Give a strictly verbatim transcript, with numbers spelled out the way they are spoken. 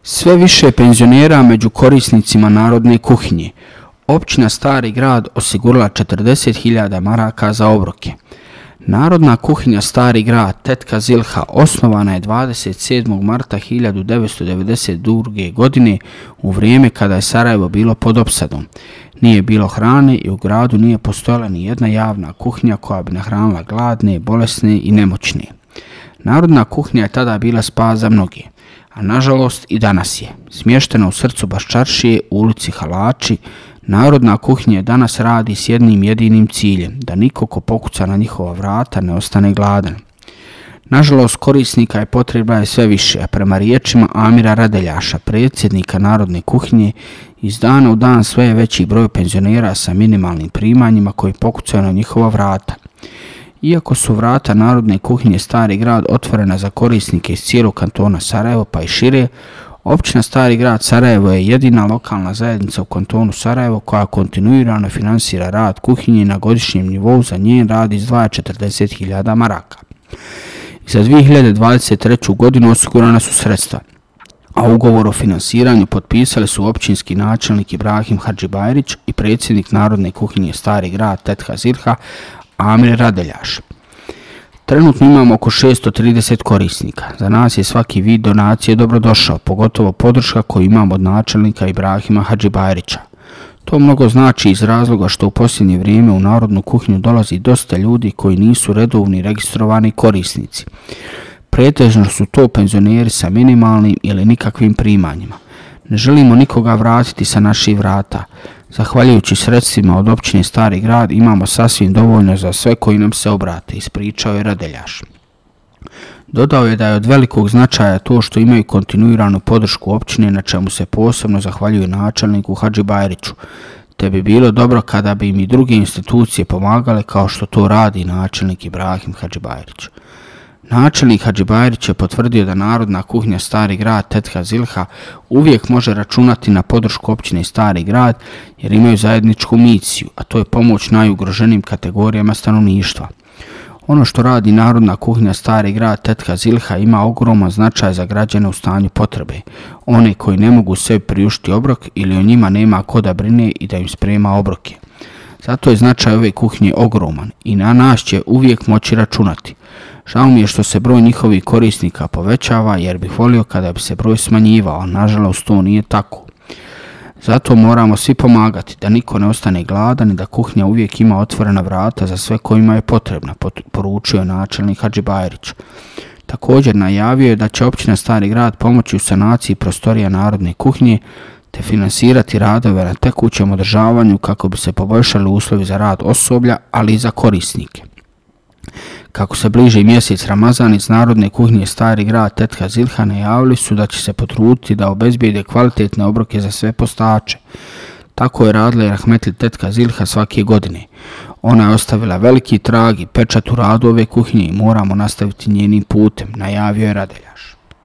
Sve više penzionera među korisnicima narodne kuhinje. Općina Stari Grad osigurala četrdeset hiljada maraka za obroke. Narodna kuhinja Stari Grad Tetka Zilha osnovana je dvadeset sedmog marta hiljadu devetsto devedeset druge. godine u vrijeme kada je Sarajevo bilo pod opsadom. Nije bilo hrane i u gradu nije postojala ni jedna javna kuhinja koja bi nahranila gladne, bolesne i nemoćne. Narodna kuhinja je tada bila spas za mnoge, a nažalost i danas je. Smještena u srcu Baščaršije u ulici Halači, narodna kuhinja danas radi s jednim jedinim ciljem, da niko ko pokuca na njihova vrata ne ostane gladan. Nažalost, korisnika je potreba je sve više, a prema riječima Amira Radeljaša, predsjednika narodne kuhinje, iz dana u dan sve je veći broj penzionera sa minimalnim primanjima koji pokucaju na njihova vrata. Iako su vrata narodne kuhinje Stari Grad otvorena za korisnike iz cijelog kantona Sarajevo pa i šire, općina Stari Grad Sarajevo je jedina lokalna zajednica u kantonu Sarajevo koja kontinuirano finansira rad kuhinje na godišnjem nivou, za njen rad izdvaja četrdeset hiljada maraka. Za dvije hiljade dvadeset treću. godinu osigurana su sredstva, a ugovor o finansiranju potpisali su općinski načelnik Ibrahim Hadžibajrić i predsjednik Narodne kuhinje Stari Grad Tetka Zilha Amir Radeljaš. Trenutno imamo oko šesto trideset korisnika. Za nas je svaki vid donacije dobrodošao, pogotovo podrška koju imamo od načelnika Ibrahima Hadžibajrića. To mnogo znači iz razloga što u posljednje vrijeme u Narodnu kuhinju dolazi dosta ljudi koji nisu redovni registrovani korisnici. Pretežno su to penzioneri sa minimalnim ili nikakvim primanjima. Ne želimo nikoga vratiti sa naših vrata. Zahvaljujući sredstvima od općine Stari Grad imamo sasvim dovoljno za sve koji nam se obrate, ispričao je Radeljaš. Dodao je da je od velikog značaja to što imaju kontinuiranu podršku općine, na čemu se posebno zahvaljuje načelniku Hadžibajriću, te bi bilo dobro kada bi im i druge institucije pomagale kao što to radi načelnik Ibrahim Hadžibajrić. Načelnik Hadžibajrić je potvrdio da Narodna kuhinja Stari Grad Tetka Zilha uvijek može računati na podršku općine Stari Grad jer imaju zajedničku misiju, a to je pomoć najugroženijim kategorijama stanovništva. Ono što radi Narodna kuhinja Stari Grad Tetka Zilha ima ogroman značaj za građane u stanju potrebe, one koji ne mogu sebi priuštiti obrok ili o njima nema ko da brine i da im sprema obroke. Zato je značaj ove kuhinje ogroman i na nas će uvijek moći računati. Žao mi je što se broj njihovih korisnika povećava jer bih volio kada bi se broj smanjivao, a nažalost to nije tako. Zato moramo svi pomagati da niko ne ostane gladan i da kuhinja uvijek ima otvorena vrata za sve kojima je potrebna, poručio načelnik Hadžibajrić. Također najavio je da će općina Stari Grad pomoći u sanaciji prostorija Narodne kuhinje te finansirati radove na tekućem održavanju kako bi se poboljšali uslovi za rad osoblja, ali i za korisnike. Kako se bliži mjesec Ramazan, iz Narodne kuhinje Stari Grad Tetka Zilha najavili su da će se potruditi da obezbijede kvalitetne obroke za sve postače. Tako je radila i rahmetli Tetka Zilha svake godine. Ona je ostavila veliki trag i pečat u radu ove kuhinje i moramo nastaviti njenim putem, najavio je Radeljaš.